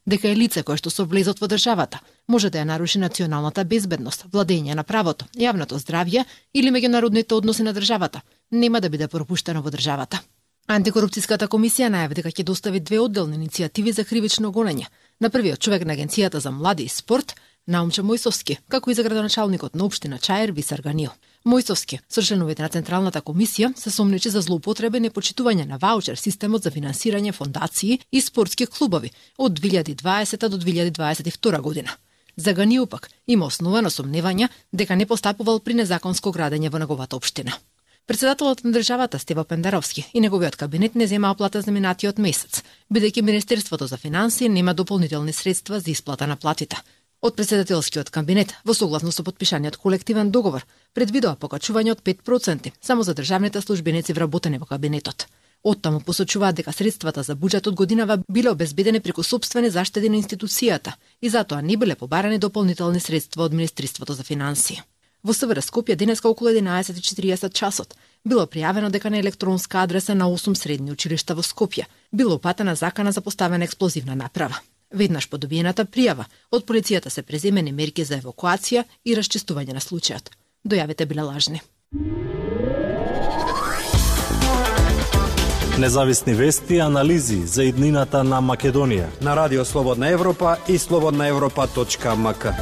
дека е лице кое што со влезот во државата може да ја наруши националната безбедност, владење на правото, јавното здравје или меѓународните односи на државата, нема да биде пропуштено во државата. Антикорупцијската комисија најави дека ќе достави 2 одделни иницијативи за кривично гонење. На првиот човек на Агенцијата за млади и спорт, Наумче Мојсовски, како и за градоначалникот на општина Чаир Висар Ганил. Мојсовски, со членовите на Централната комисија, се сомнечи за злоупотреба и непочитување на ваучер системот за финансирање фондации и спортски клубови од 2020 до 2022 година. За Ганил пак има основано сомневања дека не постапувал при незаконско градење во неговата општина. Председателот на државата Стево Пендаровски и неговиот кабинет не земаа плата за минатиот месец, бидејќи Министерството за финансии нема дополнителни средства за исплата на платите. Од председателскиот кабинет, во согласно со подпишаниот колективен договор, предвидува покачување од 5% само за државните службеници вработени во кабинетот. Оттаму посочуваат дека средствата за буџетот годинава биле обезбедени преку сопствени заштеди на институцијата и затоа не биле побарани дополнителни средства од Министерството за финансии. Во СВР Скопје денеска околу 11:40 часот било пријавено дека на електронска адреса на 8 средни училишта во Скопје било упатена закана за поставена експлозивна направа. Веднаш по добиената пријава, од полицијата се преземени мерки за евакуација и расчистување на случајот. Дојавите биле лажни. Независни вести и анализи за иднината на Македонија на Радио Слободна Европа и slobodnaevropa.mk.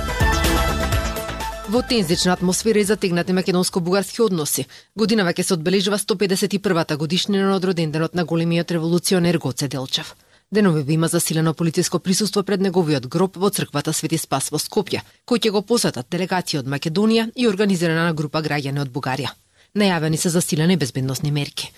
Во тензична атмосфера и затегнати македонско-бугарски односи, годинава ќе се одбележува 151-та годишнина од роденденот на големиот револуционер Гоце Делчев. Деновиве има засилено полициско присуство пред неговиот гроб во црквата Свети Спас во Скопје, кој ќе го посетат делегација од Македонија и организирана група граѓани од Бугарија. Најавени се засилени безбедносни мерки.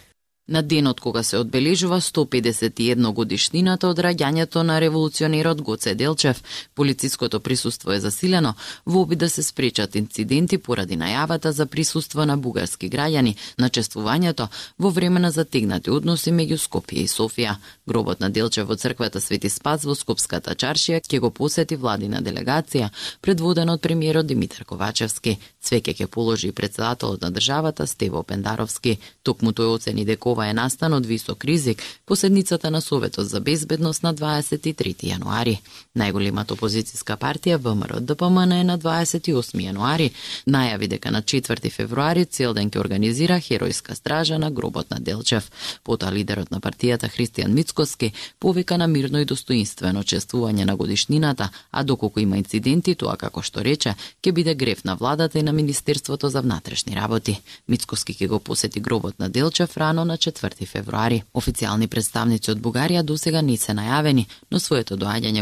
На денот кога се одбележува 151 годишнината од раѓањето на револуционерот Гоце Делчев, полициското присуство е засилено во обид да се спречат инциденти поради најавата за присуство на бугарски граѓани на чествувањето во време на затегнати односи меѓу Скопје и Софија. Гробот на Делчев во црквата Свети Спас во Скопската чаршија ќе го посети владина делегација, предводена од премиерот Димитар Ковачевски. Цвеќе ќе положи и председателот на државата Стево Пендаровски. Токму тој оцени дека ова е настан од висок ризик по седницата на Советот за безбедност на 23 јануари. Најголемата опозицијска партија ВМРО-ДПМН е на 28 јануари најави дека на 4 февруари цел ден ќе организира херојска стража на гробот на Делчев. Потоа лидерот на партијата Христијан Мицкоски повика на мирно и достоинствено чествување на годишнината, а доколку има инциденти, тоа како што рече, ќе биде грев на владата и на Министерството за внатрешни работи. Мицкоски ќе го посети гробот на Делчев рано на 4 февруари. Официјални представници од Бугарија досега не се најавени, но своето доаѓање го